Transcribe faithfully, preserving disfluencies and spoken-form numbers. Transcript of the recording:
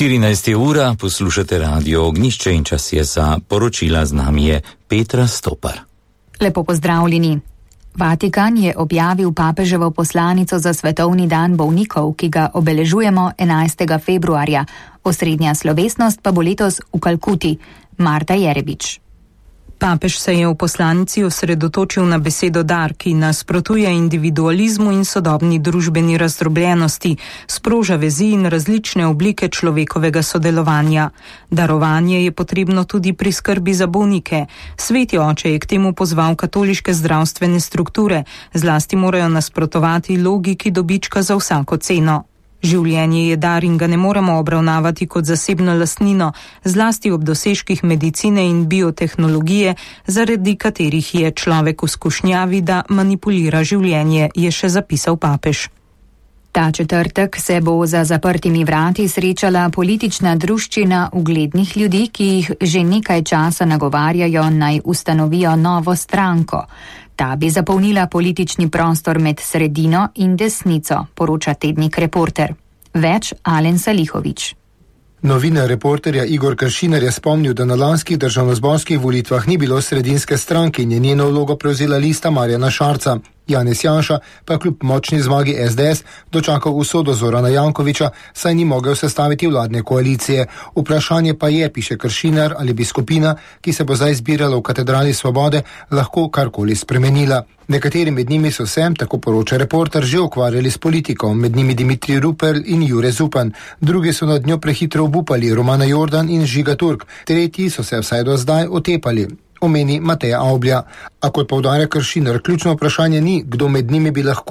štirinajsta je ura, poslušate Radio Ognjišče in čas je za poročila. Z nami je Petra Stopar. Lepo pozdravljeni. Vatikan je objavil papeževo poslanico za svetovni dan bolnikov, ki ga obeležujemo enajstega februarja. Osrednja slovesnost pa bo letos v Kalkuti. Marta Jerebič. Papež se je v poslanici osredotočil na besedo dar, ki nasprotuje individualizmu in sodobni družbeni razdrobljenosti, sproža vezi in različne oblike človekovega sodelovanja. Darovanje je potrebno tudi pri skrbi za bolnike. Sveti oče je k temu pozval katoliške zdravstvene strukture, zlasti morajo nasprotovati logiki dobička za vsako ceno. Življenje je dar in ga ne moremo obravnavati kot zasebno lastnino, zlasti ob dosežkih medicine in biotehnologije, zaradi katerih je človek v skušnjavi, da manipulira življenje, je še zapisal papež. Ta četrtek se bo za zaprtimi vrati srečala politična druščina uglednih ljudi, ki jih že nekaj časa nagovarjajo naj ustanovijo novo stranko. Ta bi zapolnila politični prostor med sredino in desnico, poroča tednik Reporter. Več Alen Salihovič. Novinar Reporterja Igor Kršinar je spomnil, da na lanskih državnozborskih volitvah ni bilo sredinske stranke in je njeno vlogo prevzela lista Marjana Šarca. Janez Janša pa kljub močni zmagi es de es dočakal usodo Zorana Jankovića, saj ni mogel sestaviti vladne koalicije. Vprašanje pa je, piše Kršinar, ali bi skupina, ki se bo zdaj zbirala v Katedrali Svobode, lahko karkoli spremenila. Nekateri med njimi so se, tako poroča Reporter, že ukvarjali s politiko, med njimi Dimitrij Rupel in Jure Zupan. Drugi so nad njo prehitro obupali, Romana Jordan in Žiga Turk. Tretji so se vsaj do zdaj otepali. Omeni Mateja Avblja. A kot poudarja Kršinar, ključno vprašanje ni, kdo med njimi bi lahko